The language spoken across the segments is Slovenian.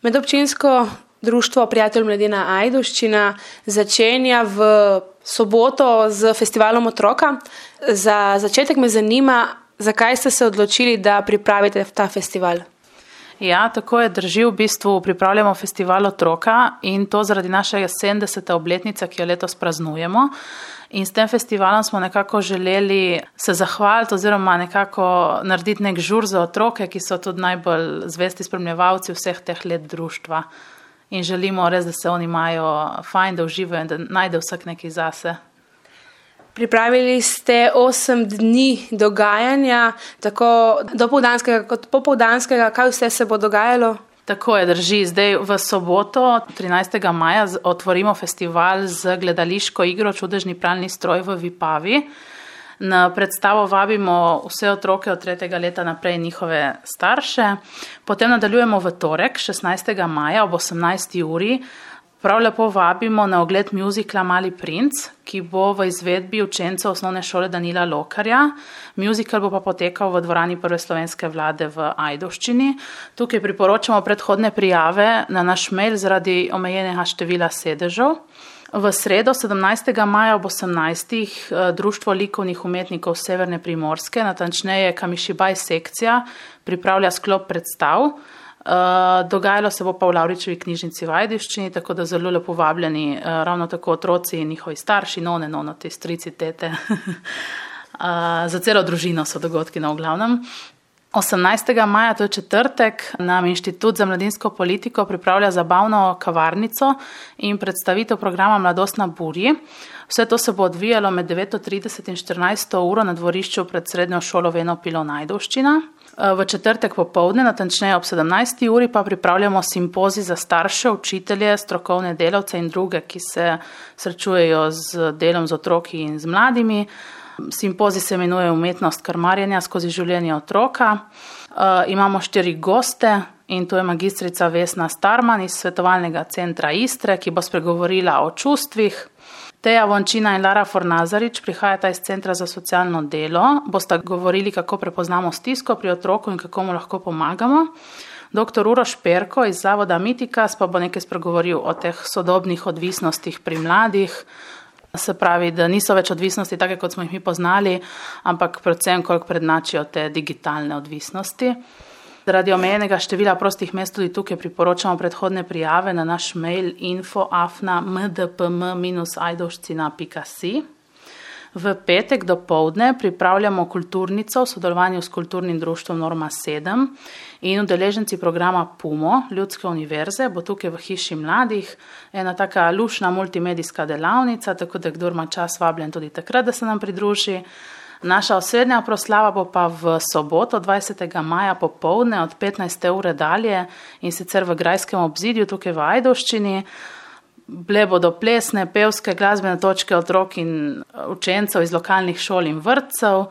Medobčinsko društvo Prijatelj mladine Ajdovščina začenja v soboto z festivalom otroka. Za začetek me zanima, zakaj ste se odločili, da pripravite ta festival? Ja, tako je, drži, v bistvu pripravljamo festival otroka in to zaradi naše 70. obletnice, ki jo letos praznujemo. In s tem festivalom smo nekako želeli se zahvaliti oziroma nekako narediti nek žur za otroke, ki so tudi najbolj zvesti spremljevalci vseh teh let društva. In želimo res, da se oni imajo fajn, da uživajo in da najde vsak nekaj zase. Pripravili ste 8 dni dogajanja, tako dopoldanskega kot popoldanskega. Kaj vse se bo dogajalo? Tako je, drži. Zdaj v soboto, 13. maja, otvorimo festival z gledališko igro Čudežni pralni stroj v Vipavi. Na predstavo vabimo vse otroke od 3. leta naprej in njihove starše. Potem nadaljujemo v torek, 16. maja ob 18. uri. Prav lepo vabimo na ogled muzikla Mali princ, ki bo v izvedbi učencev osnovne šole Danila Lokarja. Muzikal bo pa potekal v dvorani Prve slovenske vlade v Ajdovščini. Tukaj priporočamo predhodne prijave na naš mail zaradi omejenega števila sedežev. V sredo, 17. maja ob 18. Društvo likovnih umetnikov Severne Primorske, natančneje Kamišibaj sekcija, pripravlja sklop predstav. Dogajalo se bo pa v Lavričevi knjižnici v Ajdovščini, tako da zelo lepo vabljeni ravno tako otroci in njihovi starši, nonoti, strici, tete. Za celo družino so dogodki v glavnem. 18. maja, to je četrtek, nam Inštitut za mladinsko politiko pripravlja zabavno kavarnico in predstavitev programa Mladost na burji. Vse to se bo odvijalo med 9:30 in 14. uro na dvorišču pred srednjo šolo Veno Pilon Ajdovščina. V četrtek popoldne, natančneje ob 17. uri, pa pripravljamo simpozij za starše, učitelje, strokovne delavce in druge, ki se srečujejo z delom z otroki in z mladimi. Simpozij se imenuje Umetnost krmarjenja skozi življenje otroka. Imamo 4 goste in to je magistrica Vesna Starman iz Svetovalnega centra Istre, ki bo spregovorila o čustvih. Teja Vončina in Lara Fornazarič prihajata iz Centra za socialno delo, bosta govorili, kako prepoznamo stisko pri otroku in kako mu lahko pomagamo. Dr. Uroš Perko iz Zavoda Mitikas pa bo nekaj spregovoril o teh sodobnih odvisnostih pri mladih. Se pravi, da niso več odvisnosti take, kot smo jih mi poznali, ampak predvsem, koliko prednačijo te digitalne odvisnosti. Zaradi omejenega števila prostih mest tudi tukaj priporočamo predhodne prijave na naš mail info@mdpm-ajdovščina.si. V petek dopoldne pripravljamo kulturnico v sodelovanju s Kulturnim društvom Norma 7 in udeleženci programa PUMO, Ljudske univerze, bo tukaj v Hiši mladih ena taka lušna multimedijska delavnica, tako da kdor ima čas, vabljen tudi takrat, da se nam pridruži. Naša osrednja proslava bo pa v soboto, 20. maja popoldne od 15. ure dalje in sicer v Grajskem obzidju tukaj v Ajdovščini. Bile bodo plesne, pevske, glasbene točke otrok in učencev iz lokalnih šol in vrtcev.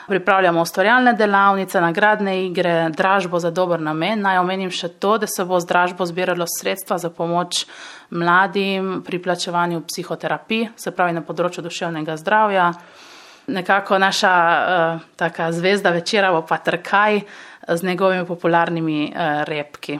Pripravljamo ustvarjalne delavnice, nagradne igre, dražbo za dober namen. Naj omenim še to, da se bo z dražbo zbiralo sredstva za pomoč mladim pri plačevanju psihoterapij, se pravi na področju duševnega zdravja. Nekako naša taka zvezda večera bo pa Trkaj z njegovimi popularnimi repki.